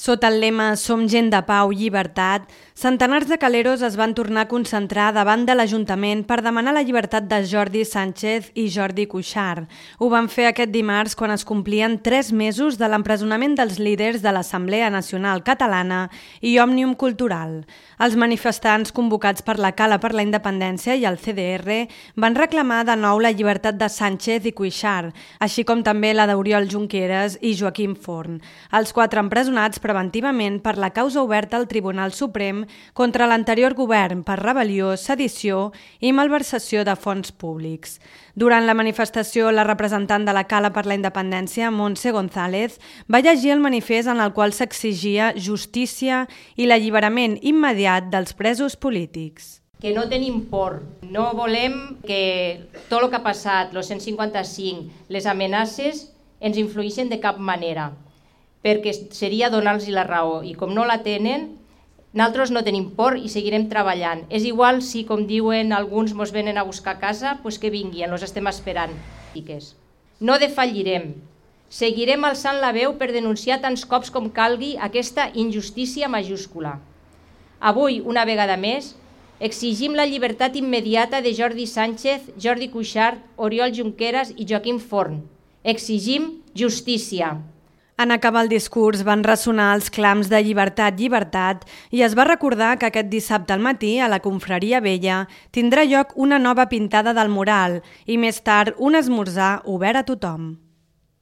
Sota el lema Som gent de pau, llibertat, centenars de caleros es van tornar a concentrar davant de l'Ajuntament per demanar la llibertat de Jordi Sánchez i Jordi Cuixart. Ho van fer aquest dimarts quan es complien 3 mesos de l'empresonament dels líders de l'Assemblea Nacional Catalana i Òmnium Cultural. Els manifestants convocats per la Cala per la Independència i el CDR van reclamar de nou la llibertat de Sánchez i Cuixart, així com també la d'Oriol Junqueras i Joaquim Forn. Els 4 empresonats preventivament per la causa oberta al Tribunal Suprem contra l'anterior govern per rebel·lió, sedició i malversació de fons públics. Durant la manifestació, la representant de la Cala per la Independència, Montse González, va llegir el manifest en el qual s'exigia justícia i l'alliberament immediat dels presos polítics. Que no tenim por, no volem que tot el que ha passat, el 155, les amenaces, ens influïxen de cap manera, perquè seria donar-los la raó, i com no la tenen, nosaltres no tenim por i seguirem treballant. És igual si, com diuen alguns, ens venen a buscar a casa, doncs que vinguin, els estem esperant. No defallirem, seguirem alçant la veu per denunciar tants cops com calgui aquesta injustícia majúscula. Avui, una vegada més, exigim la llibertat immediata de Jordi Sánchez, Jordi Cuixart, Oriol Junqueras i Joaquim Forn. Exigim justícia. En acabar el discurs van ressonar els clams de llibertat, llibertat i es va recordar que aquest dissabte al matí a la Confraria Vella tindrà lloc una nova pintada del mural i més tard un esmorzar obert a tothom.